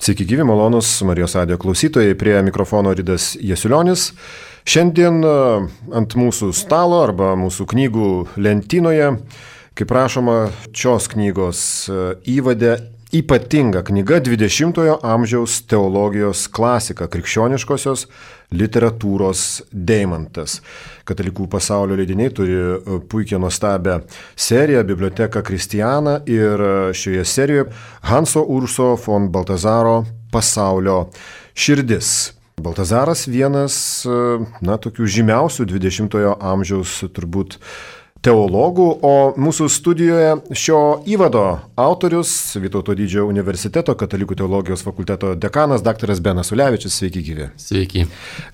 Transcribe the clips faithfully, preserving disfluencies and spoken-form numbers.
Sveiki gyvi, malonus Marijos radijo klausytojai, prie mikrofono Ridas Jasiulionis. Šiandien ant mūsų stalo arba mūsų knygų lentynoje, kaip rašoma šios knygos įvade, ypatinga knyga dvidešimtojo amžiaus teologijos klasika, krikščioniškosios literatūros deimantas. Katalikų pasaulio leidiniai turi puikią nuostabią seriją Biblioteka Kristiana ir šioje serijoje Hanso Urso von Baltazaro Pasaulio širdis. Baltazaras vienas, na, tokių žymiausių dvidešimtojo amžiaus turbūt teologų, o mūsų studijoje šio įvado autorius, Vytauto didžiojo universiteto katalikų teologijos fakulteto dekanas daktaras Benas Ulevičius. Sveiki gyvi. Sveiki.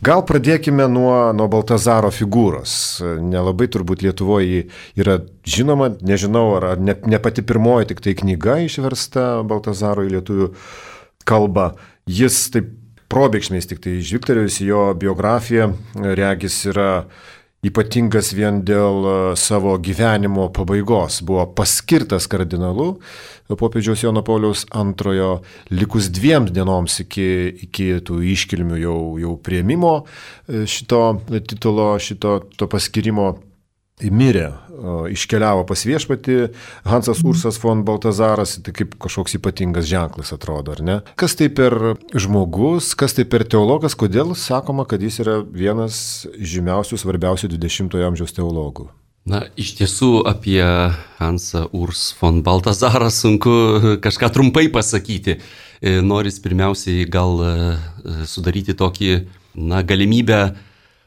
Gal pradėkime nuo, nuo Baltazaro figūros. Nelabai turbūt Lietuvoje yra žinoma, nežinau, ar ne, ne pati pirmoji tik tai knyga išversta Baltazaro į lietuvių kalbą. Jis taip probėgšmiais tik tai žvilgtelėjus jo biografiją, regis yra ypatingas vien dėl savo gyvenimo pabaigos. Buvo paskirtas kardinolu popiežiaus Jono Pauliaus antrojo likus dviem dienoms iki, iki tų iškilmių jau, jau priėmimo šito titulo, šito to paskirimo. Mirė, iškeliavo pas viešpatį Hansas Ursas von Baltazaras, tai kaip kažkoks ypatingas ženklas atrodo, ar ne? Kas tai per žmogus, kas tai per teologas, kodėl sakoma, kad jis yra vienas žymiausių, svarbiausių dvidešimtojo amžiaus teologų? Na, iš tiesų apie Hansą Urs von Baltazarą sunku kažką trumpai pasakyti. Noris pirmiausiai gal sudaryti tokį, na, galimybę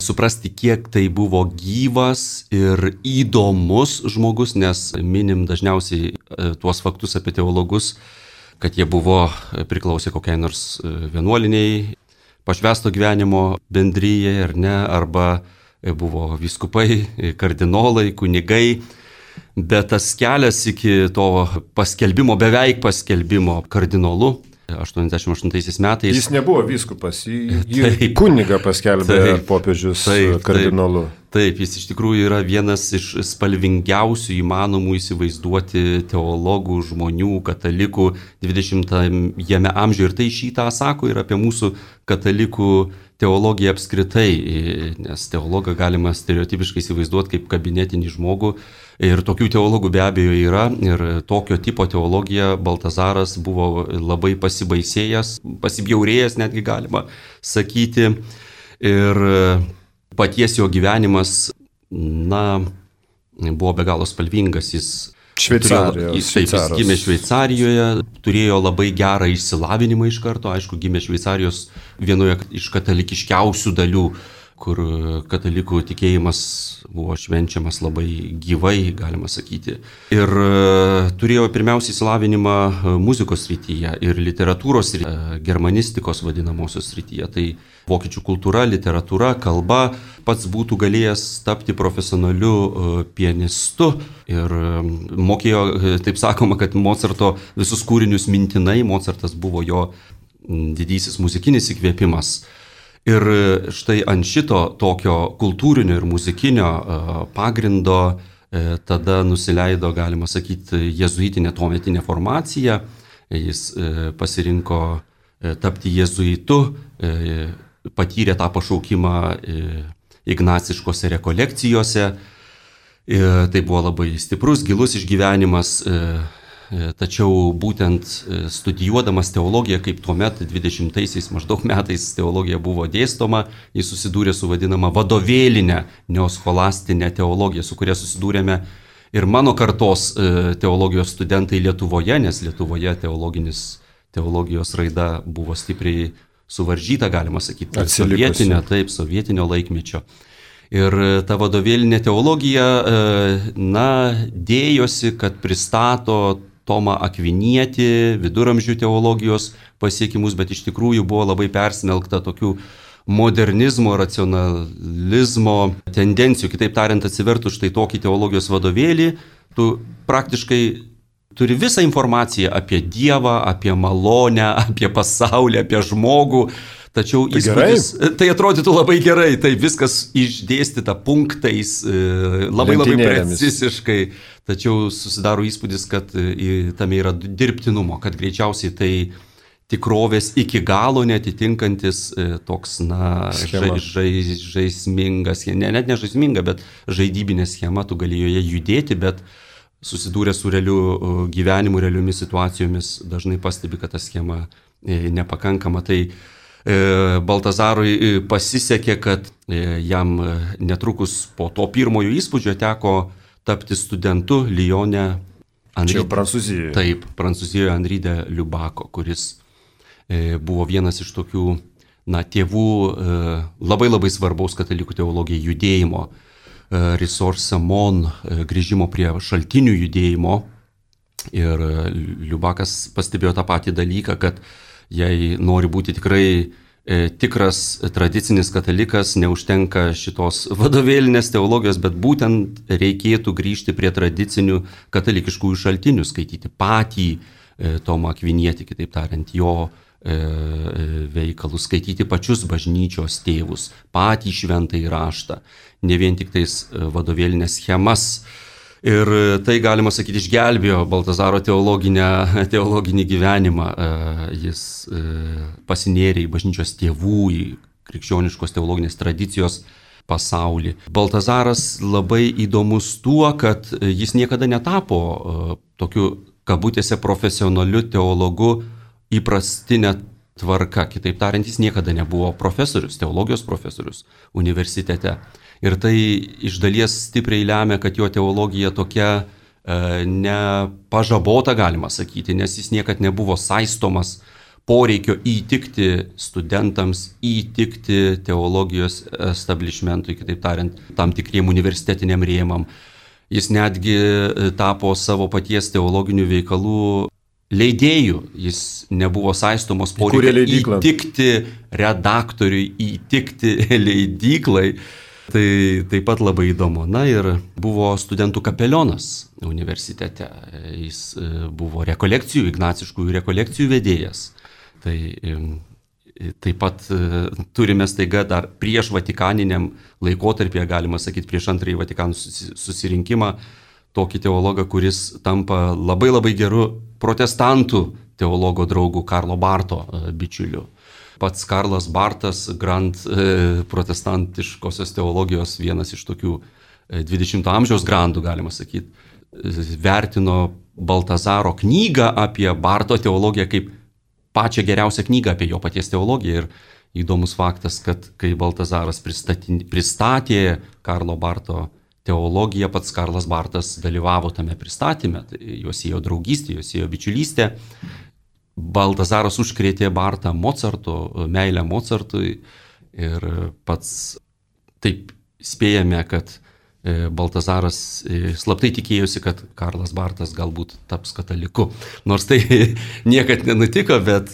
suprasti, kiek tai buvo gyvas ir įdomus žmogus, nes minim dažniausiai tuos faktus apie teologus, kad jie buvo priklausę kokiai nors vienuoliniai, pašvęsto gyvenimo bendryjai, ar ne, arba buvo vyskupai, kardinolai, kunigai, bet tas kelias iki to paskelbimo, beveik paskelbimo kardinolu, aštuoniasdešimt aštuntaisiais metais. Jis nebuvo vyskupas, jį, jį kunigą paskelbė taip, popiežius taip, kardinolu. Taip, taip, jis iš tikrųjų yra vienas iš spalvingiausių įmanomų įsivaizduoti teologų, žmonių, katalikų dvidešimtajame amžiuje. Ir tai šitą sako ir apie mūsų katalikų teologiją apskritai, nes teologą galima stereotipiškai įsivaizduoti kaip kabinetinį žmogų. Ir tokių teologų be abejo yra, ir tokio tipo teologija Baltazaras buvo labai pasibaisėjęs, pasibjaurėjęs netgi galima sakyti. Ir paties jo gyvenimas, na, buvo be galo spalvingas. Jis Šveicarijos. Jis, taip, jis gimė Šveicarijoje, turėjo labai gerą išsilavinimą iš karto, aišku, gimė Šveicarijos vienoje iš katalikiškiausių dalių, kur katalikų tikėjimas buvo švenčiamas labai gyvai, galima sakyti. Ir turėjo pirmiausiai įsilavinimą muzikos srityje ir literatūros ir germanistikos vadinamosios srityje. Tai vokiečių kultūra, literatūra, kalba, pats būtų galėjęs tapti profesionaliu pianistu ir mokėjo, taip sakoma, kad Mocarto visus kūrinius mintinai, Mocartas buvo jo didysis muzikinis įkvėpimas. Ir štai ant šito tokio kultūrinio ir muzikinio pagrindo tada nusileido, galima sakyti, jezuitinė tuometinė formacija. Jis pasirinko tapti jezuitu, patyrė tą pašaukimą ignaciškose rekolekcijose. Tai buvo labai stiprus, gilus išgyvenimas. Tačiau būtent studijuodamas teologiją, kaip tuomet dvidešimtaisiais maždaug metais teologija buvo dėstoma, jis susidūrė su vadinama vadovėlinė neoscholastinė teologija, su kuria susidūrėme ir mano kartos teologijos studentai Lietuvoje, nes Lietuvoje teologijos raida buvo stipriai suvaržyta, galima sakyti, sovietinio, taip, sovietinio laikmečio. Ir ta vadovėlinė teologija, na, dėjosi, kad pristato Tomą Akvinietį, viduramžių teologijos pasiekimus, bet iš tikrųjų buvo labai persmelkta tokių modernizmo, racionalizmo tendencijų. Kitaip tariant, atsivertus štai tokį teologijos vadovėlį, tu praktiškai turi visą informaciją apie Dievą, apie malonę, apie pasaulį, apie žmogų. Tačiau tai, įspūdis, tai atrodytų labai gerai, tai viskas išdėstyta punktais, labai labai precisiškai, tačiau susidaro įspūdis, kad tame yra dirbtinumo, kad greičiausiai tai tikrovės iki galo netitinkantis toks, na, žai, žai, žaismingas, ne, net ne žaisminga, bet žaidybinė schema, tu gali joje judėti, bet susidūrę su realiu gyvenimu, realiomis situacijomis, dažnai pastebi, kad ta schema nepakankama. Tai Baltazarui pasisekė, kad jam netrukus po to pirmojo įspūdžio teko tapti studentu Lyone. Čia jau Prancūzijoje. Taip, Prancūzijoje Henri de Lubako, kuris buvo vienas iš tokių, na, tėvų labai labai svarbaus katalikų teologijai judėjimo, Ressourcement, grįžimo prie šaltinių judėjimo. Ir Lubakas pastebėjo tą patį dalyką, kad jei nori būti tikrai tikras tradicinis katalikas, neužtenka šitos vadovėlinės teologijos, bet būtent reikėtų grįžti prie tradicinių katalikiškųjų šaltinių, skaityti patį Tomą Akvinietį, kitaip tariant, jo veikalus, skaityti pačius bažnyčios tėvus, patį šventąjį raštą, ne vien tik tais vadovėlinės schemas. Ir tai, galima sakyti, išgelbėjo Baltazaro teologinį gyvenimą. Jis pasinėrė į bažnyčios tėvų, į krikščioniškos teologinės tradicijos pasaulį. Baltazaras labai įdomus tuo, kad jis niekada netapo tokiu, kabutėse, profesionaliu teologu įprastinė tvarka. Kitaip tariant, jis niekada nebuvo profesorius, teologijos profesorius universitete. Ir tai iš dalies stipriai lemia, kad jo teologija tokia e, nepažabota, galima sakyti, nes jis niekad nebuvo saistomas poreikio įtikti studentams, įtikti teologijos establishmentui, kitaip tariant, tam tikriem universitetiniam rėmam. Jis netgi tapo savo paties teologinių veikalų leidėjų, jis nebuvo saistomos poreikio įtikti redaktoriui, įtikti leidyklai. Tai taip pat labai įdomu. Na ir buvo studentų kapelionas universitete, jis buvo rekolekcijų, ignaciškųjų rekolekcijų vedėjas. Tai taip pat turime staiga dar prieš Vatikaniniam laikotarpyje, galima sakyti, prieš antrąjį Vatikanų susirinkimą, tokį teologą, kuris tampa labai labai geru protestantų teologo draugu Karlo Barto bičiuliu. Pats Karlas Bartas, grand e, protestantiškosios teologijos vienas iš tokių dvidešimto amžiaus grandų, galima sakyti, vertino Baltazaro knygą apie Barto teologiją kaip pačią geriausią knygą apie jo paties teologiją. Ir įdomus faktas, kad kai Baltazaras pristatė, pristatė Karlo Barto teologiją, pats Karlas Bartas dalyvavo tame pristatyme, tai juos ėjo draugystė, juos ėjo bičiulystė. Baltazaras užkrėtė Bartą Mocarto, meilę Mocartui ir pats taip spėjame, kad Baltazaras slaptai tikėjosi, kad Karlas Bartas galbūt taps kataliku. Nors tai niekad nenutiko, bet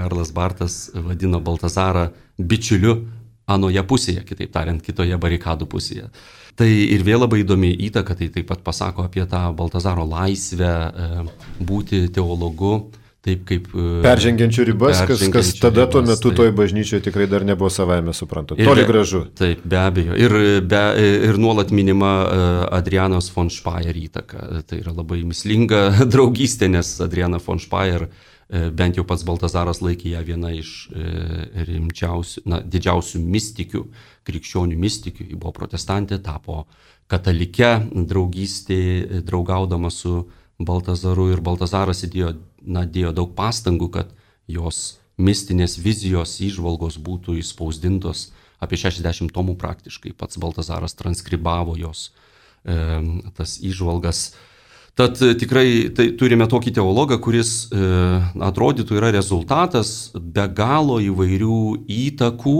Karlas Bartas vadino Baltazarą bičiuliu anoje pusėje, kitaip tariant, kitoje barikadų pusėje. Tai ir vėl labai įdomi įtaka, tai taip pat pasako apie tą Baltazaro laisvę būti teologu. Taip kaip peržengiančių ribas, kas, kas tada ribas, tuo metu taip. Toj bažnyčioje tikrai dar nebuvo savaime suprantama. Toli gražu. Taip, be abejo. Ir, be, ir nuolat minima Adrianos von Speyer įtaka. Tai yra labai mislinga draugystė, nes Adriana von Speyer, bent jau pats Baltazaras laikė ją viena iš rimčiausių, na, didžiausių mistikių, krikščionių mistikių. Ji buvo protestantė, tapo katalike draugystė, draugaudama su Baltazaru, ir Baltazaras įdėjo, na, dėjo daug pastangų, kad jos mistinės vizijos įžvalgos būtų įspausdintos, apie šešiasdešimt tomų praktiškai. Pats Baltazaras transkribavo jos e, tas įžvalgas. Tad tikrai tai, turime tokį teologą, kuris e, atrodytų yra rezultatas be galo įvairių įtakų.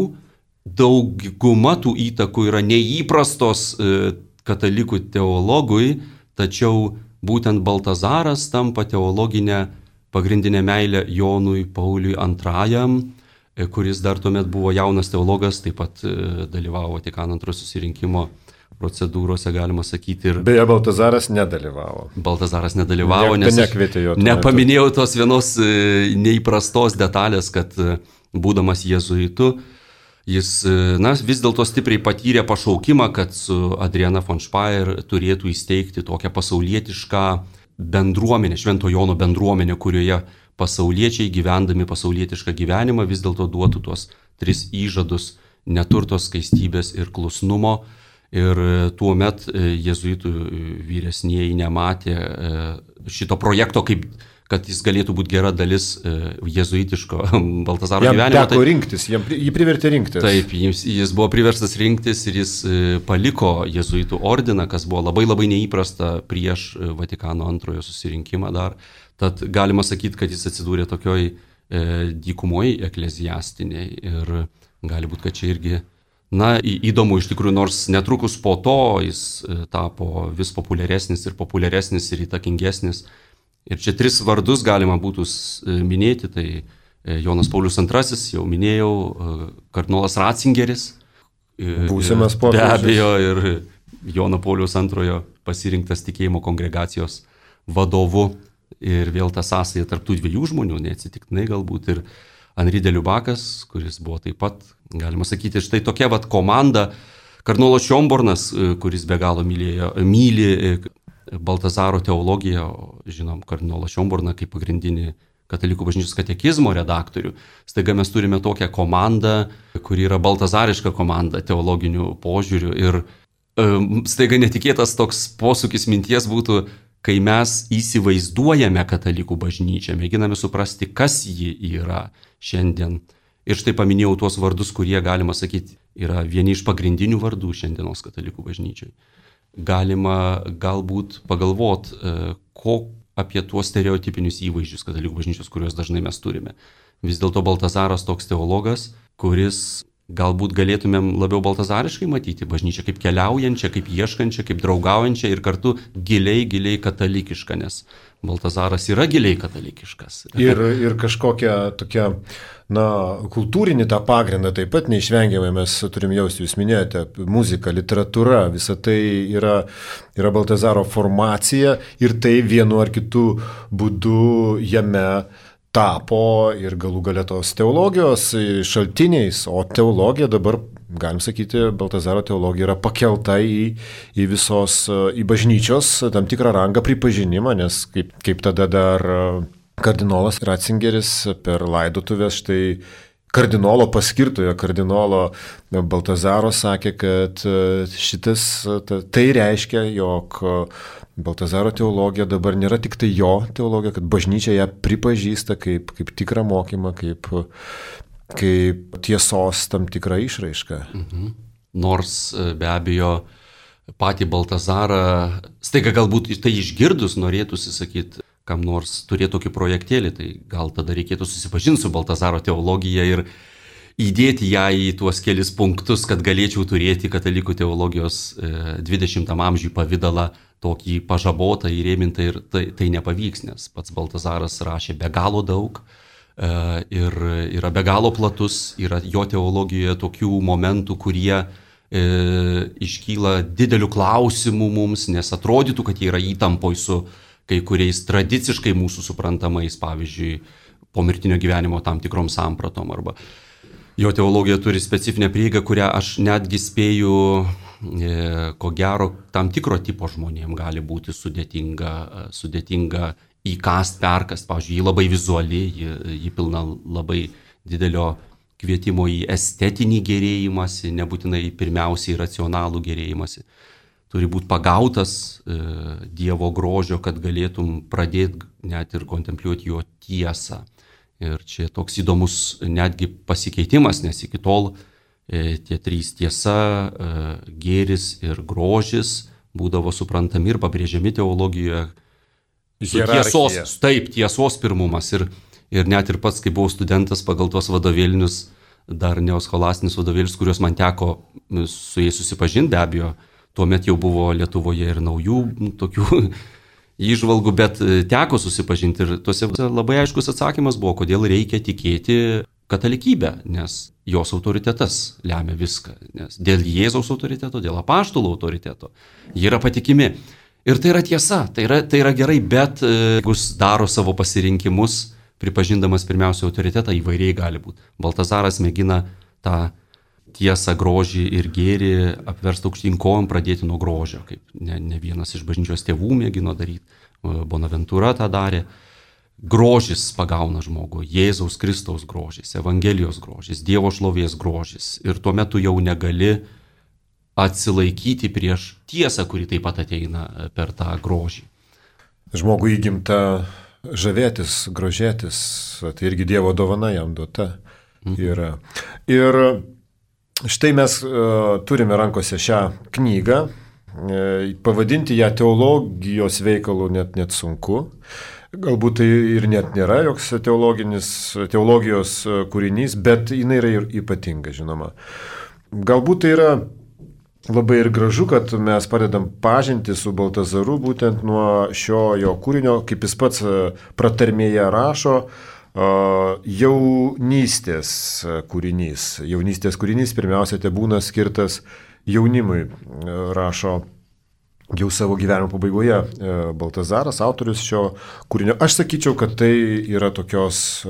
Dauguma tų įtakų yra neįprastos e, katalikų teologui, tačiau būtent Baltazaras tampa teologinę pagrindinę meilę Jonui Pauliui antrajam, kuris dar tuomet buvo jaunas teologas, taip pat dalyvavo Vatikano antrojo susirinkimo procedūrose, galima sakyti. Ir beje, Baltazaras nedalyvavo. Baltazaras nedalyvavo, ne, nes nekvietė jo. Nepaminėjau tos vienos neįprastos detalės, kad būdamas jėzuitu, jis, na, vis dėlto stipriai patyrė pašaukimą, kad su Adriana von Speyer turėtų įsteigti tokią pasaulietišką bendruomenę, Švento Jono bendruomenę, kurioje pasauliečiai gyvendami pasaulietišką gyvenimą vis dėlto duotų tuos tris įžadus - neturto, skaistybės ir klusnumo. Ir tuo met jėzuitų vyresnieji nematė šito projekto, kaip, kad jis galėtų būti gera dalis jėzuitiško Baltazaro jam gyvenimo. Jam teko rinktis, jam, jį privertė rinktis. Taip, jis, jis buvo priverstas rinktis ir jis paliko jėzuitų ordiną, kas buvo labai labai neįprasta prieš Vatikano antrojo susirinkimą dar. Tad galima sakyti, kad jis atsidūrė tokioj dykumoje ekleziastiniai ir gali būti, kad čia irgi na, įdomu iš tikrųjų, nors netrukus po to jis tapo vis populiaresnis ir populiaresnis ir įtakingesnis. Ir čia tris vardus galima būtų minėti, tai Jonas Paulius antrasis, jau minėjau, kardinolas Ratzingeris, būsimas popiežius. Be abejo, ir Jono Pauliaus antrojo pasirinktas tikėjimo kongregacijos vadovu. Ir vėl ta sąsaja tarp tų dviejų žmonių, neatsitiktinai galbūt ir Henri de Lubakas, kuris buvo taip pat, galima sakyti, štai tokia vat komanda. Kardinolas Šiombornas, kuris be galo mylėjo, myli Baltazaro teologiją, žinom, kardinolą Šiomborną kaip pagrindinį katalikų bažnyčios katekizmo redaktorių. Staiga mes turime tokią komandą, kuri yra baltazariška komanda teologinių požiūrių. Ir um, staiga netikėtas toks posūkis minties būtų, kai mes įsivaizduojame katalikų bažnyčią, mėginame suprasti, kas ji yra šiandien. Ir štai paminėjau tuos vardus, kurie, galima sakyti, yra vieni iš pagrindinių vardų šiandienos katalikų bažnyčiai. Galima galbūt pagalvot, ko apie tuos stereotipinius įvaizdžius katalikų bažnyčios, kuriuos dažnai mes turime. Vis dėlto Baltazaras toks teologas, kuris galbūt galėtumėm labiau baltazariškai matyti bažnyčią kaip keliaujančią, kaip ieškančią, kaip draugaujančią ir kartu giliai, giliai katalikišką, nes Baltazaras yra giliai katalikiškas. Ir, ir kažkokią tokią, na, kultūrinį tą pagrindą taip pat neišvengiamai mes turim jausti, jūs minėjote, muzika, literatūra, visa tai yra, yra Baltazaro formacija ir tai vienu ar kitu būdu jame tapo ir galų gale tos teologijos šaltiniais, o teologija dabar, galim sakyti, Baltazaro teologija yra pakelta į, į visos, į bažnyčios tam tikrą rangą pripažinimą, nes kaip, kaip tada dar kardinolas Ratzingeris per laidotuvės štai kardinolo paskirtojo, kardinolo Baltazaro sakė, kad šitas, tai reiškia, jog Baltazaro teologija dabar nėra tik tai jo teologija, kad bažnyčia ją pripažįsta kaip, kaip tikrą mokymą, kaip, kaip tiesos tam tikrą išraišką. Mhm. Nors be abejo patį Baltazarą, staiga galbūt tai išgirdus norėtųsi sakyti, kam nors turėtų tokį projektėlį, tai gal tada reikėtų susipažinti su Baltazaro teologija ir įdėti ją į tuos kelis punktus, kad galėčiau turėti katalikų teologijos dvidešimtam amžiui pavydalą tokį pažabotą, įrėmintą ir tai, tai nepavyks, nes pats Baltazaras rašė be galo daug ir yra be galo platus, yra jo teologijoje tokių momentų, kurie e, iškyla didelių klausimų mums, nes atrodytų, kad jie yra įtampoj su kai kuriais tradiciškai mūsų suprantamais, pavyzdžiui, pomirtinio gyvenimo tam tikrom sampratom arba jo teologija turi specifinę prieigą, kurią aš netgi spėju, e, ko gero, tam tikro tipo žmonėm gali būti sudėtinga, sudėtinga įkast, perkast. Pavyzdžiui, ji labai vizuali, ji, ji pilna labai didelio kvietimo į estetinį gerėjimąsi, nebūtinai pirmiausiai racionalų gerėjimąsi. Turi būti pagautas e, Dievo grožio, kad galėtum pradėti net ir kontempliuoti jo tiesą. Ir čia toks įdomus netgi pasikeitimas, nes iki tol e, tie trys tiesa, e, gėris ir grožis būdavo suprantami ir pabrėžiami teologijoje. Tiesos, taip, tiesos pirmumas. Ir, ir net ir pats, kai buvau studentas pagal tuos vadovėlinius, dar neoskolastinius vadovėlius, kuriuos man teko su jais susipažinti, be abejo, tuomet jau buvo Lietuvoje ir naujų tokių įžvalgų, bet teko susipažinti ir tuose labai aiškus atsakymas buvo, kodėl reikia tikėti katalikybę, nes jos autoritetas lemia viską, nes dėl Jėzaus autoriteto, dėl apaštalų autoriteto jie yra patikimi. Ir tai yra tiesa, tai yra, tai yra gerai, bet jeigu daro savo pasirinkimus, pripažindamas pirmiausia autoritetą, įvairiai gali būti. Baltazaras mėgina tą tiesą, grožį ir gėrį apversti aukštyn kojom, pradėti nuo grožio, kaip ne, ne vienas iš bažnyčios tėvų mėgino daryti, Bonaventūra tą darė. grožis pagauna žmogų, Jėzaus Kristaus grožis, Evangelijos grožis, Dievo šlovės grožis. Ir tuomet tu jau negali atsilaikyti prieš tiesą, kuri taip pat ateina per tą grožį. Žmogų įgimta žavėtis, grožėtis, tai irgi Dievo dovana jam duota yra. Ir štai mes uh, turime rankose šią knygą, uh, pavadinti ją teologijos veikalu net, net sunku. Galbūt tai ir net nėra joks teologijos kūrinys, bet jinai yra ir ypatinga, žinoma. Galbūt tai yra labai ir gražu, kad mes padedam pažinti su Baltazaru būtent nuo šio jo kūrinio, kaip jis pats pratarmėje rašo, jaunystės kūrinys. Jaunystės kūrinys pirmiausia te būna skirtas jaunimui, rašo jau savo gyvenimo pabaigoje Baltazaras, autorius šio kūrinio. Aš sakyčiau, kad tai yra tokios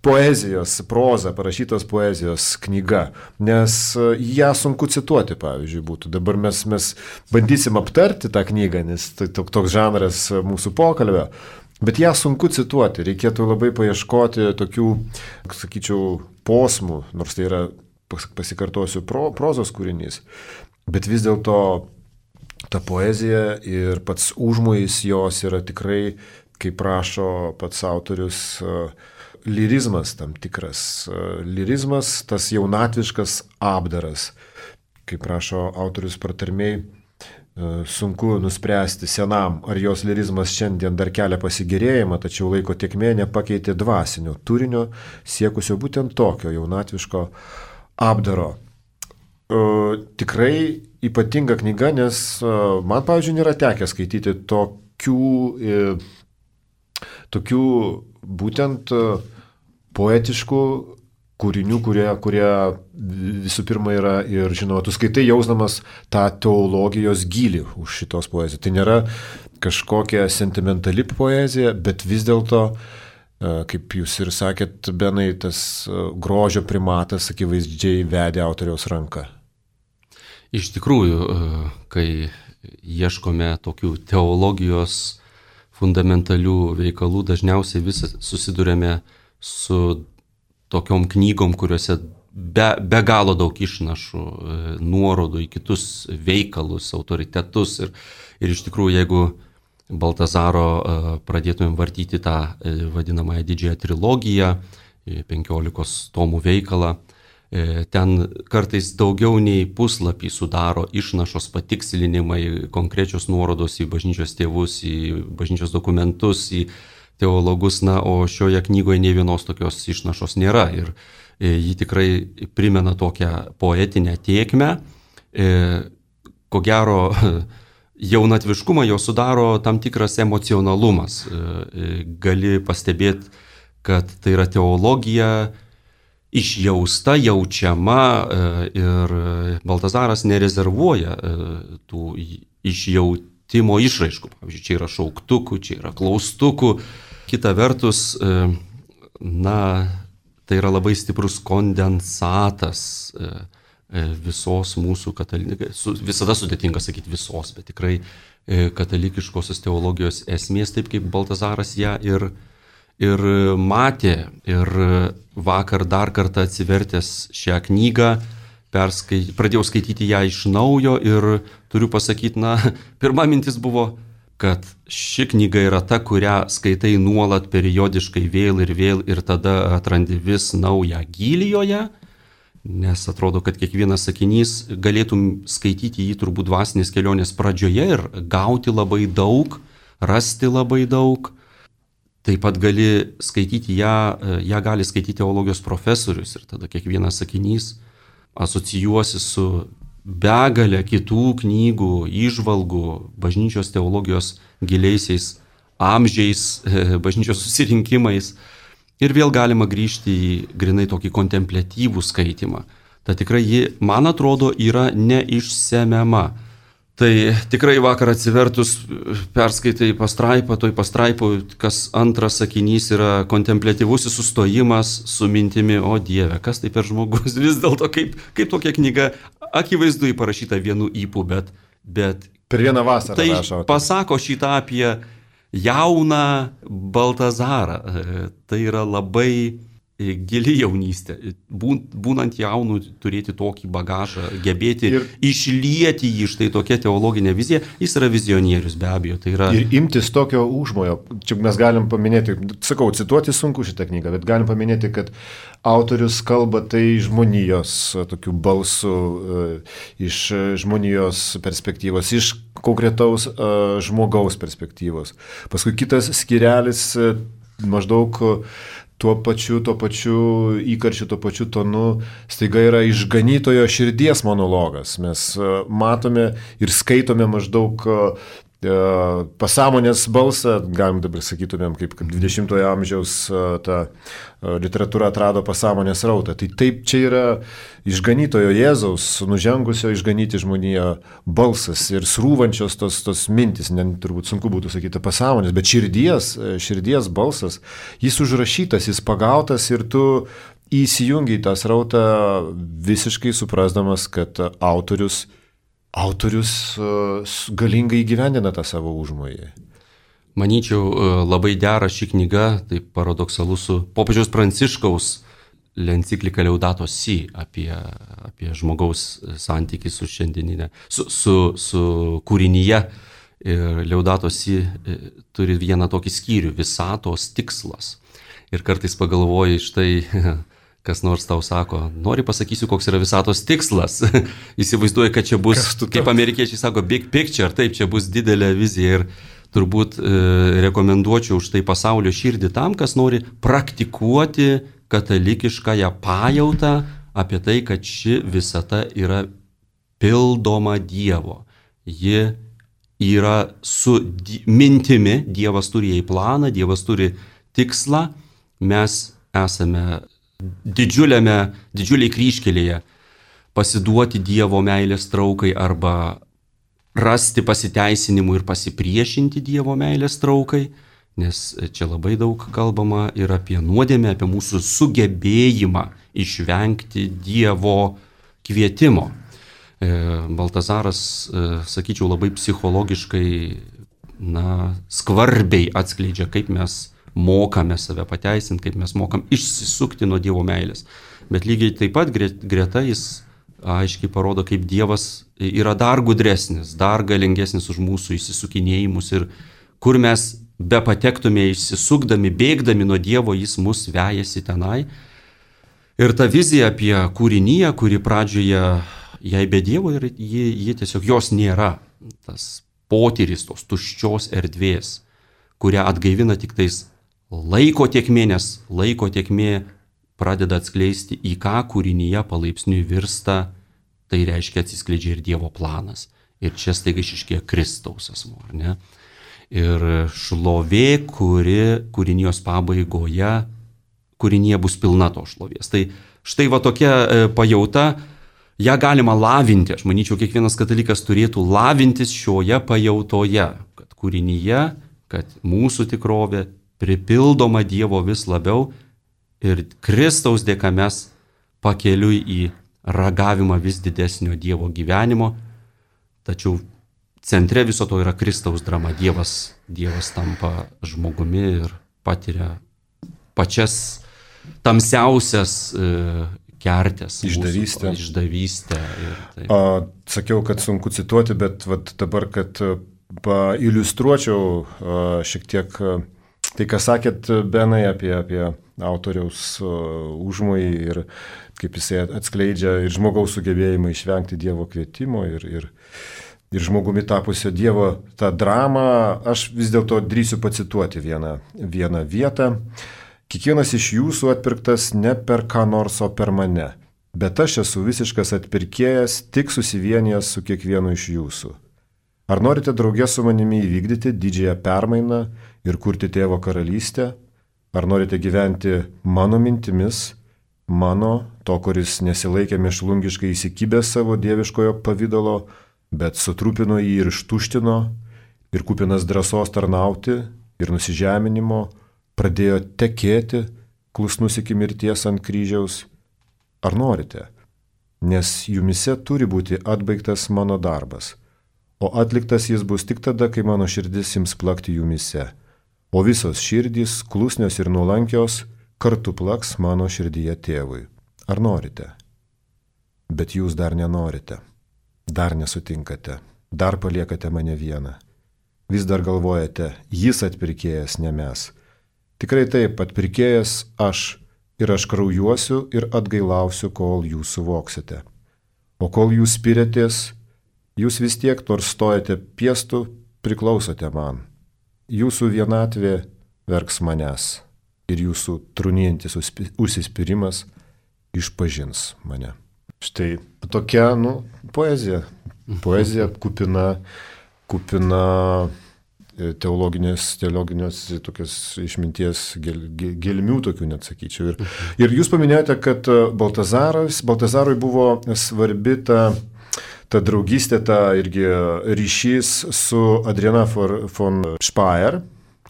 poezijos, proza, parašytos poezijos knyga, nes ją sunku cituoti, pavyzdžiui, būtų. Dabar mes, mes bandysim aptarti tą knygą, nes tai toks žanras mūsų pokalbio, bet ją sunku cituoti, reikėtų labai paieškoti tokių, sakyčiau, posmų, nors tai yra, pasikartosiu, pro, prozos kūrinys, bet vis dėlto ta poezija ir pats užmojis jos yra tikrai, kaip rašo pats autorius, lirizmas tam tikras. Lirizmas, tas jaunatviškas apdaras. Kaip rašo autorius pratarmėj, sunku nuspręsti senam, ar jos lirizmas šiandien dar kelia pasigėrėjimą, tačiau laiko tėkmė nepakeitė dvasinio turinio, siekusio būtent tokio jaunatviško apdaro. Tikrai ypatinga knyga, nes man, pavyzdžiui, nėra tekę skaityti tokių, tokių būtent poetiškų kūrinių, kurie, kurie visų pirma yra ir, žinoma, tu skaitai jausdamas tą teologijos gylį už šitos poezijos. Tai nėra kažkokia sentimentali poezija, bet vis dėlto, kaip jūs ir sakėt, Benai, tas grožio primatas akivaizdžiai vedė autoriaus ranką. Iš tikrųjų, kai ieškome tokių teologijos fundamentalių veikalų, dažniausiai vis susidurėme su tokiom knygom, kuriuose be, be galo daug išnašų, nuorodų į kitus veikalus, autoritetus. Ir, ir iš tikrųjų, jeigu Baltazaro pradėtumėm vartyti tą vadinamąją didžiąją trilogiją, penkiolikos tomų veikalą, ten kartais daugiau nei puslapį sudaro išnašos, patikslinimai, konkrečios nuorodos į bažnyčios tėvus, į bažnyčios dokumentus, į teologus, na, o šioje knygoje nei vienos tokios išnašos nėra. Ir ji tikrai primena tokią poetinę tėkmę. Ko gero, jaunatviškumą jo sudaro tam tikras emocionalumas. Gali pastebėti, kad tai yra teologija išjausta, jaučiama ir Baltazaras nerezervuoja tų išjautimo išraiškų. Pavyzdžiui, čia yra šauktukų, čia yra klaustukų. Kita vertus, na, tai yra labai stiprus kondensatas visos mūsų katalikos, visada sudėtinga sakyti visos, bet tikrai katalikiškosios teologijos esmės, taip kaip Baltazaras ją ir, ir matė. Ir vakar dar kartą atsivertęs šią knygą, perskai, pradėjau skaityti ją iš naujo ir turiu pasakyti, na, pirma mintis buvo, kad ši knyga yra ta, kurią skaitai nuolat periodiškai vėl ir vėl ir tada atrandi vis naują gylį joje. Nes atrodo, kad kiekvienas sakinys galėtum skaityti jį turbūt dvasinės kelionės pradžioje ir gauti labai daug, rasti labai daug. Taip pat gali skaityti ją, ją gali skaityti teologijos profesorius ir tada kiekvienas sakinys asocijuosi su begalė kitų knygų, įžvalgų, bažnyčios teologijos giliaisiais amžiais, bažnyčios susirinkimais. Ir vėl galima grįžti į grinai tokį kontempliatyvų skaitimą. Ta tikrai ji, man atrodo, yra neišsemiama. Tai tikrai vakar atsivertus perskaitai pastraipą, toj pastraipų, kas antras sakinys yra kontempliatyvusis sustojimas su mintimi, o Dieve, kas tai per žmogus, vis dėlto kaip, kaip tokia knyga, akivaizdu parašyta vienu ypu, bet, bet per vieną vasarą tai rašo. Pasako šitą apie jauną Baltazarą. Tai yra labai gili jaunystė. Būnant jaunu, turėti tokį bagažą, gebėti ir išlieti jį, štai tokia teologinė vizija, jis yra vizionierius be abejo. Tai yra... Ir imtis tokio užmojo. Čia mes galim paminėti, sakau, cituoti sunku šitą knygą, bet galim paminėti, kad autorius kalba tai žmonijos tokių balsų, iš žmonijos perspektyvos, iš konkretaus žmogaus perspektyvos. Paskui kitas skyrelis maždaug tuo pačiu, tuo pačiu įkarčiu, tuo pačiu tonu, staiga yra išganytojo širdies monologas. Mes matome ir skaitome maždaug pasąmonės balsą, galim dabar sakytumėm, kaip, kaip dvidešimtojo amžiaus ta literatūra atrado pasąmonės rautą. Tai taip, čia yra išganytojo Jėzaus, nužengusio išganyti žmoniją balsas ir srūvančios tos, tos mintis, ne, turbūt sunku būtų sakyti pasąmonės, bet širdies, širdies balsas, jis užrašytas, jis pagautas ir tu įsijungi į tą srautą visiškai suprasdamas, kad autorius Autorius galingai įgyvendina tą savo užmojį. Manyčiau, labai dera ši knyga, tai paradoksalu su popiežiaus Pranciškaus enciklika Laudato Si apie, apie žmogaus santykį su šiandieninė, su, su, su kūrinyje. Ir Laudato Si turi vieną tokį skyrių, visatos tikslas. Ir kartais pagalvoji, štai kas nors tau sako, nori pasakysiu, koks yra visatos tikslas. Įsivaizduoju, kad čia bus, kaip amerikiečiai sako, big picture, taip, čia bus didelė vizija ir turbūt e, rekomenduočiau už tai pasaulio širdį tam, kas nori praktikuoti katalikiškąją pajautą apie tai, kad ši visata yra pildoma Dievo. Ji yra su di- mintimi, Dievas turi jai planą, Dievas turi tikslą, mes esame didžiuliame, didžiuliai kryžkelėje pasiduoti Dievo meilės traukai arba rasti pasiteisinimų ir pasipriešinti Dievo meilės traukai, nes čia labai daug kalbama ir apie nuodėmę, apie mūsų sugebėjimą išvengti Dievo kvietimo. Baltazaras, sakyčiau, labai psichologiškai, na, skvarbiai atskleidžia, kaip mes mokame save pateisinti, kaip mes mokam išsisukti nuo Dievo meilės. Bet lygiai taip pat greta jis aiškiai parodo, kaip Dievas yra dar gudresnis, dar galingesnis už mūsų išsisukinėjimus ir kur mes be patektume išsisukdami, bėgdami nuo Dievo, jis mus vejasi tenai. Ir ta vizija apie kūrinyje, kuri pradžioje jai be Dievo ir ji, ji tiesiog jos nėra. Tas potyris tos tuščios erdvės, kurią atgaivina tik tais laiko tėkmė, nes laiko tėkmė pradeda atskleisti, į ką kūrinyje palaipsniui virsta, tai reiškia atsiskleidžia ir Dievo planas. Ir čia staiga išryškėja Kristaus asmuo, ar ne? Ir šlovė, kuri kūrinijos pabaigoje, kūrinyje bus pilna to šlovės. Tai štai va tokia pajauta, ją galima lavinti. Aš manyčiau, kiekvienas katalikas turėtų lavintis šioje pajautoje, kad kūrinyje, kad mūsų tikrovė pripildoma Dievo vis labiau ir Kristaus dėka mes pakeliui į ragavimą vis didesnio Dievo gyvenimo, tačiau centre viso to yra Kristaus drama. Dievas, Dievas tampa žmogumi ir patiria pačias tamsiausias e, kertės. Išdavystę. Mūsų, išdavystę ir taip. A, sakiau, kad sunku cituoti, bet vat, dabar, kad pailiustruočiau a, šiek tiek a, tai, ką sakėt, Benai, apie, apie autoriaus užmojį ir kaip jisai atskleidžia ir žmogaus sugebėjimą išvengti Dievo kvietimo ir, ir, ir žmogumi tapusio Dievo tą dramą, aš vis dėlto drįsiu pacituoti vieną, vieną vietą. Kiekvienas iš jūsų atpirktas ne per ką nors, o per mane, bet aš esu visiškas atpirkėjas, tik susivienijęs su kiekvienu iš jūsų. Ar norite draugė su manimi įvykdyti didžiąją permainą ir kurti Tėvo karalystę? Ar norite gyventi mano mintimis, mano, to, kuris nesilaikė mėšlungiškai įsikibęs savo dieviškojo pavydalo, bet sutrupino jį ir ištuštino, ir kupinas drąsos tarnauti ir nusižeminimo, pradėjo tekėti, klusnus iki mirties ant kryžiaus? Ar norite? Nes jumise turi būti atbaigtas mano darbas. o atliktas jis bus tik tada, kai mano širdis ims plakti jumise, o visos širdys, klusnios ir nuolankios, kartu plaks mano širdyje tėvui. Ar norite? Bet jūs dar nenorite, dar nesutinkate, dar paliekate mane vieną. Vis dar galvojate, jis atpirkėjas, ne mes. Tikrai taip, atpirkėjas aš, ir aš kraujuosiu ir atgailausiu, kol jūs suvoksite. O kol jūs spiritės, jūs vis tiek nors stojate piestu, priklausote man. Jūsų vienatvė verks manęs ir jūsų trūnijantis užsispyrimas išpažins mane. Štai tokia, nu, poezija. Poezija kupina, kupina teologinės, teologinės tokias išminties gel, gelmių tokių, net sakyčiau. Ir, ir jūs paminėjote, kad Baltazaras, Baltazarui buvo svarbi ta, ta draugystė, ta irgi ryšys su Adriana von Speyer,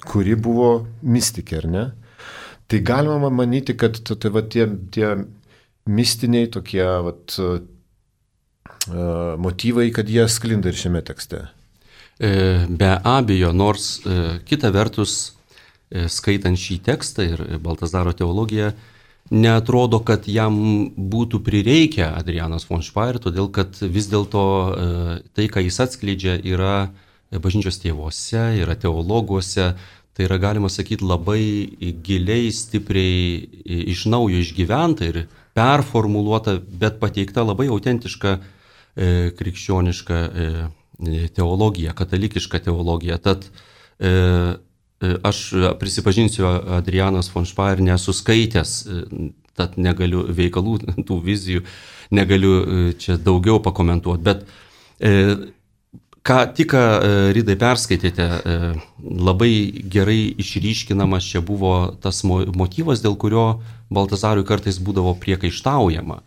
kuri buvo mistikė, ar ne? Tai galima manyti, kad tai, va, tie, tie mistiniai tokie vat, motyvai, kad jie sklinda ir šiame tekste. Be abejo, nors kita vertus, skaitant šį tekstą ir Baltazaro teologiją, neatrodo, kad jam būtų prireikę Adrianos von Speyer, todėl kad vis dėlto tai, ką jis atskleidžia, yra bažnyčios tėvuose, yra teologuose, tai yra, galima sakyti, labai giliai, stipriai iš naujo išgyventa ir performuluota, bet pateikta labai autentiška e, krikščioniška e, teologija, katalikiška teologija. Tad e, aš prisipažinsiu, Adrianos von Speyer nesu skaitęs, tad negaliu veikalų, tų vizijų, negaliu čia daugiau pakomentuoti, bet e, ką tik Rydai perskaitėte, labai gerai išryškinamas čia buvo tas motyvas, dėl kurio Baltazarui kartais būdavo priekaištaujama.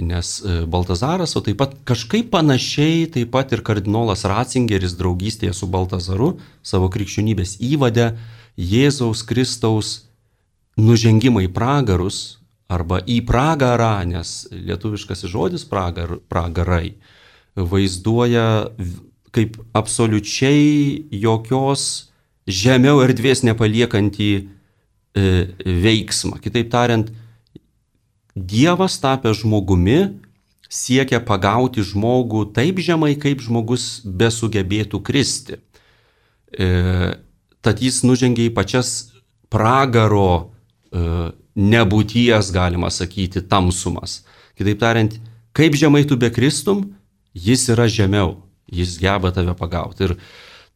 Nes Baltazaras, o taip pat kažkaip panašiai, taip pat ir kardinolas Ratzingeris draugystėje su Baltazaru savo krikščionybės įvade Jėzaus Kristaus nužengimą į pragarus arba į pragarą, nes lietuviškas žodis pragar, pragarai vaizduoja kaip absoliučiai jokios žemiau erdvės nepaliekantį e, veiksmą. Kitaip tariant, Dievas tapęs žmogumi siekia pagauti žmogų taip žemai, kaip žmogus besugebėtų kristi. E, tad jis nužengia į pačias pragaro e, nebūties, galima sakyti, tamsumas. Kitaip tariant, kaip žemai tu bekristum, jis yra žemiau. Jis geba tave pagauti. Ir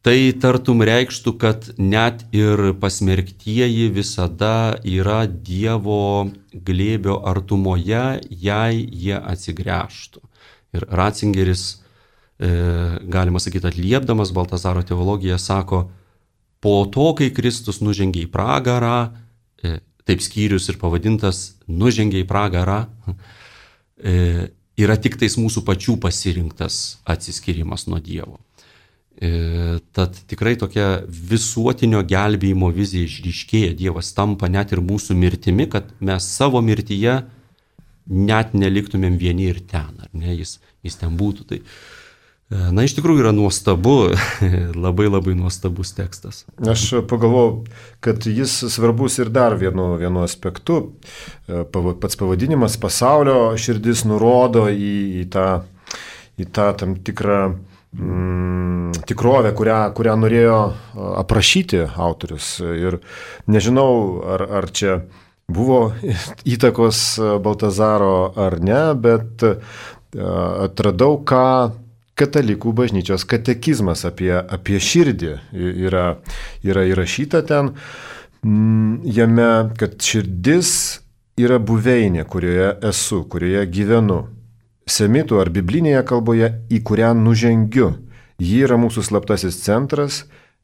tai tartum reikštų, kad net ir pasmerktieji visada yra Dievo glėbio artumoje, jei jie atsigręžtų. Ir Ratzingeris, e, galima sakyti, atliepdamas Baltazaro teologiją, sako, po to, kai Kristus nužengė į pragarą, e, taip skyrius ir pavadintas nužengė į pragarą, e, yra tik tais mūsų pačių pasirinktas atsiskyrimas nuo Dievo. E, tad tikrai tokia visuotinio gelbėjimo vizija išryškėja. Dievas tampa net ir mūsų mirtimi, kad mes savo mirtyje net neliktumėm vieni ir ten, ar ne, jis, jis ten būtų. Tai, na, iš tikrųjų yra nuostabu, labai labai nuostabus tekstas. Aš pagalvojau, kad jis svarbus ir dar vienu, vienu aspektu. Pats pavadinimas pasaulio širdis nurodo į, į, tą, į tą tam tikrą mm, tikrovę, kurią, kurią norėjo aprašyti autorius. Ir nežinau, ar, ar čia buvo įtakos Baltazaro ar ne, bet atradau, ką Katalikų bažnyčios katekizmas apie, apie širdį yra, yra įrašyta ten. Jame, kad širdis yra buveinė, kurioje esu, kurioje gyvenu. Semitų ar biblinėje kalboje, į kurią nužengiu. Ji yra mūsų slaptasis centras,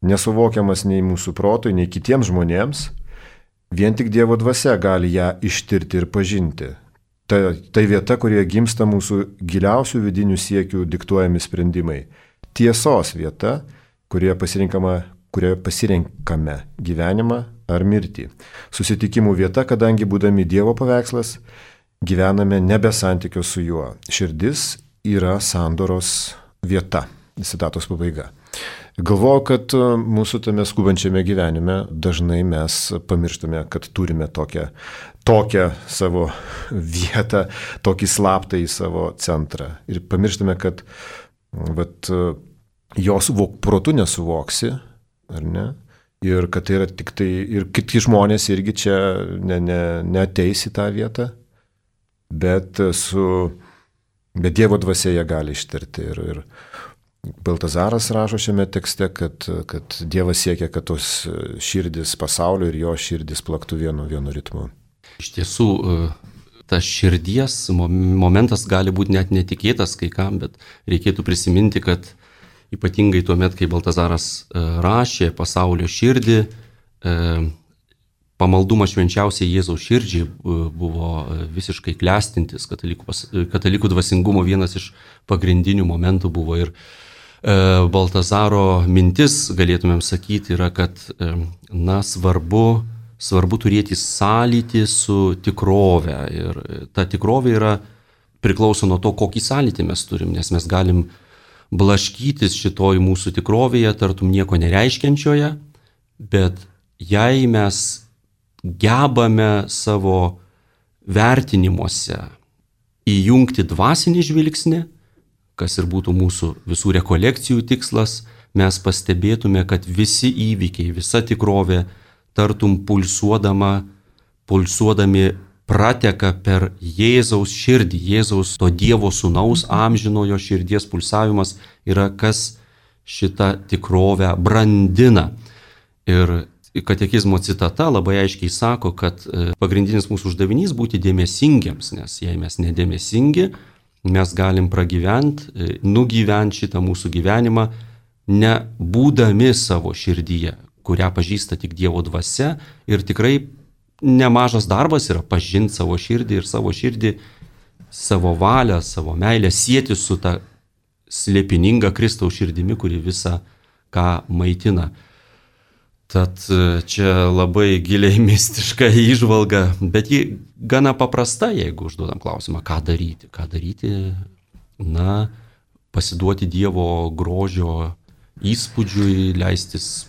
nesuvokiamas nei mūsų protui, nei kitiems žmonėms. Vien tik Dievo dvasia gali ją ištirti ir pažinti. Tai, tai vieta, kurioje gimsta mūsų giliausių vidinių siekių diktuojami sprendimai. Tiesos vieta, kurioje pasirinkama, kurioje pasirinkame gyvenimą ar mirtį. Susitikimų vieta, kadangi būdami Dievo paveikslas, gyvename nebe santykio su juo. Širdis yra sandoros vieta. Citatos pabaiga. Galvoju, kad mūsų tame skubančiame gyvenime dažnai mes pamirštame, kad turime tokią, tokią savo vietą, tokį slaptą į savo centrą. Ir pamirštame, kad vat, jos protu nesuvoksi, ar ne? Ir kad tai yra tik tai, ir kiti žmonės irgi čia ne, ne, neateis į tą vietą, bet, su, bet Dievo dvasia jie gali ištarti. Ir, ir Baltazaras rašo šiame tekste, kad, kad Dievas siekia, kad tos širdis pasaulio ir jo širdis plaktų vienu, vienu ritmu. Iš tiesų, tas širdies momentas gali būti net netikėtas kai kam, bet reikėtų prisiminti, kad ypatingai tuo met, kai Baltazaras rašė pasaulio širdį, pamaldumas švenčiausiai Jėzaus širdžiai buvo visiškai klestintis, katalikų, katalikų dvasingumo vienas iš pagrindinių momentų buvo. Ir Baltazaro mintis, galėtumėm sakyti, yra, kad na, svarbu, svarbu turėti sąlytį su tikrove. Ir ta tikrovė yra priklauso nuo to, kokį sąlytį mes turim, nes mes galim blaškytis šitoj mūsų tikrovėje, tartum nieko nereiškiančioje, bet jei mes gebame savo vertinimuose įjungti dvasinį žvilgsnį, kas ir būtų mūsų visų rekolekcijų tikslas, mes pastebėtume, kad visi įvykiai, visa tikrovė, tartum pulsuodama, pulsuodami prateka per Jėzaus širdį. Jėzaus to Dievo sūnaus amžinojo širdies pulsavimas yra, kas šitą tikrovę brandina. Ir katekizmo citata labai aiškiai sako, kad pagrindinis mūsų uždavinys būti dėmesingiams, nes jei mes nedėmesingi, mes galim pragyventi, nugyventi šitą mūsų gyvenimą, nebūdami savo širdyje, kurią pažįsta tik Dievo dvasia. Ir tikrai nemažas darbas yra pažinti savo širdį ir savo širdį, savo valią, savo meilę sieti su ta slėpininga Kristaus širdimi, kuri visą ką maitina. Tad čia labai giliai mistiška įžvalga, bet ji gana paprasta, jeigu užduodam klausimą, ką daryti. Ką daryti, na, pasiduoti Dievo grožio įspūdžiui, leistis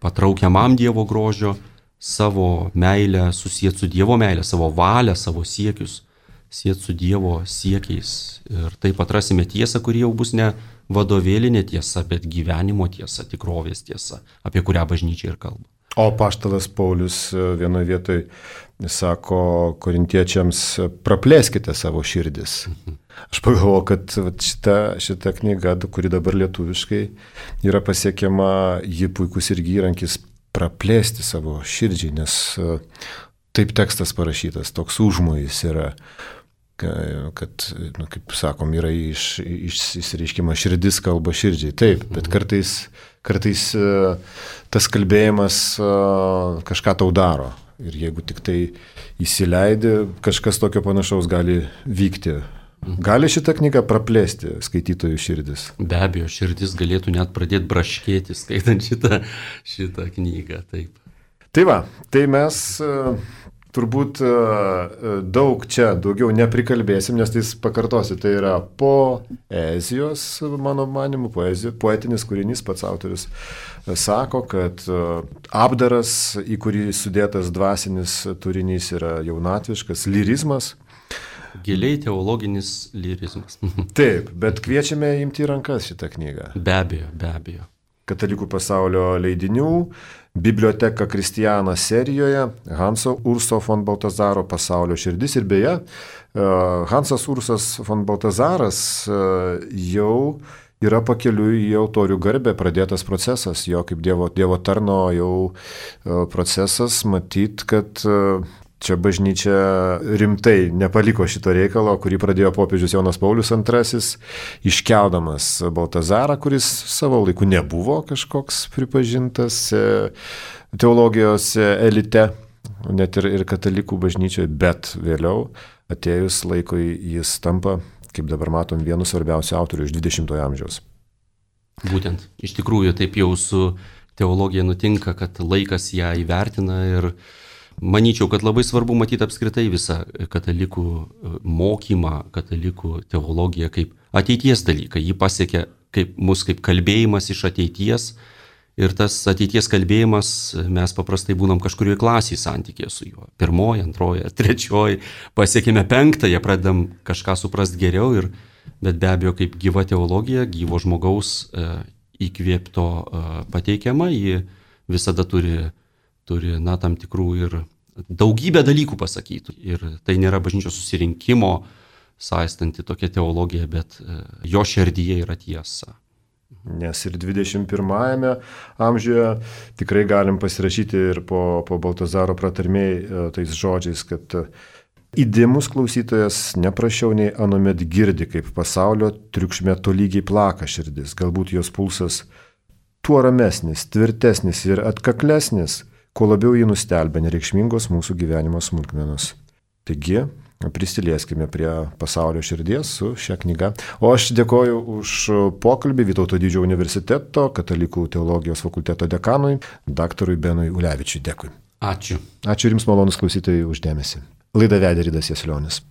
patraukiamam Dievo grožio, savo meilę susijęti su Dievo meilė, savo valią, savo siekius sieti su Dievo siekiais. Ir taip atrasime tiesą, kuri jau bus ne vadovėlinė tiesa, bet gyvenimo tiesa, tikrovės tiesa, apie kurią bažnyčia ir kalba. O apaštalas Paulius vienoje vietoje sako korintiečiams, praplėskite savo širdis. Aš pagalvoju, kad šita, šita knyga, kuri dabar lietuviškai yra pasiekiama, ji puikus irgi įrankis praplėsti savo širdžiai, nes taip tekstas parašytas, toks užmojis yra, kad, nu, kaip sakom, yra iš, iš, išsireiškimas širdis kalba širdžiai. Taip, bet kartais, kartais tas kalbėjimas kažką tau daro. Ir jeigu tik tai įsileidi, kažkas tokio panašaus gali vykti. Gali šitą knygą praplėsti skaitytojų širdis? Be abejo, širdis galėtų net pradėti braškėti, skaitant šitą, šitą knygą. Taip. Tai va, tai mes turbūt daug čia daugiau neprikalbėsim, nes tai pakartosiu, tai yra poezijos, mano manimu, poezijos, poetinis kūrinys, pats autorius sako, kad apdaras, į kurį sudėtas dvasinis turinys, yra jaunatviškas lyrizmas. Giliai teologinis lyrizmas. Taip, bet kviečiame imti į rankas šitą knygą. Be abejo, be abejo. Katalikų pasaulio leidinių, Biblioteka Kristiana serijoje, Hanso Urso von Baltazaro Pasaulio širdis. Ir beje, Hansas Ursas von Baltazaras jau yra pakeliui į altorių garbę pradėtas procesas, jo kaip Dievo, dievo tarno jau procesas, matyt, kad čia bažnyčia rimtai nepaliko šito reikalo, kurį pradėjo popiežius Jonas Paulius antrasis, iškeldamas Baltazarą, kuris savo laiku nebuvo kažkoks pripažintas teologijos elite, net ir, ir katalikų bažnyčioje, bet vėliau atėjus laikui jis tampa, kaip dabar matom, vienu svarbiausių autorių iš dvidešimtojo amžiaus. Būtent, iš tikrųjų taip jau su teologija nutinka, kad laikas ją įvertina ir manyčiau, kad labai svarbu matyti apskritai visą katalikų mokymą, katalikų teologiją kaip ateities dalyką. Jį pasiekia kaip, mus kaip kalbėjimas iš ateities. Ir tas ateities kalbėjimas, mes paprastai būnam kažkurioje klasėje santykėje su juo. Pirmoji, antroji, trečioji, pasiekime penktąją, pradedam kažką suprasti geriau. Ir, bet be abejo, kaip gyva teologija, gyvo žmogaus e, įkvėpto e, pateikiama, ji visada turi, turi na, tam tikrų ir daugybę dalykų pasakytų. Ir tai nėra bažnyčios susirinkimo saistanti tokia teologija, bet e, jo širdyje yra tiesa. Nes ir dvidešimt pirmajame amžiuje tikrai galim pasirašyti ir po, po Baltazaro pratarmėj tais žodžiais, kad įdėmus klausytojas neprašiau nei anuomet girdi, kaip pasaulio triukšme tolygiai plaka širdis. Galbūt jos pulsas tuo ramesnis, tvirtesnis ir atkaklesnis, kuo labiau jį nustelbia nereikšmingos mūsų gyvenimo smulkmenos. Taigi, prisilieskime prie pasaulio širdies su šia knyga. O aš dėkoju už pokalbį Vytauto Didžiojo universiteto katalikų teologijos fakulteto dekanui, daktarui Benui Ulevičiui. Dėkui. Ačiū. Ačiū ir jums, malonus klausytojai, už dėmesį. Laidą vedė Ridas Jaslionis.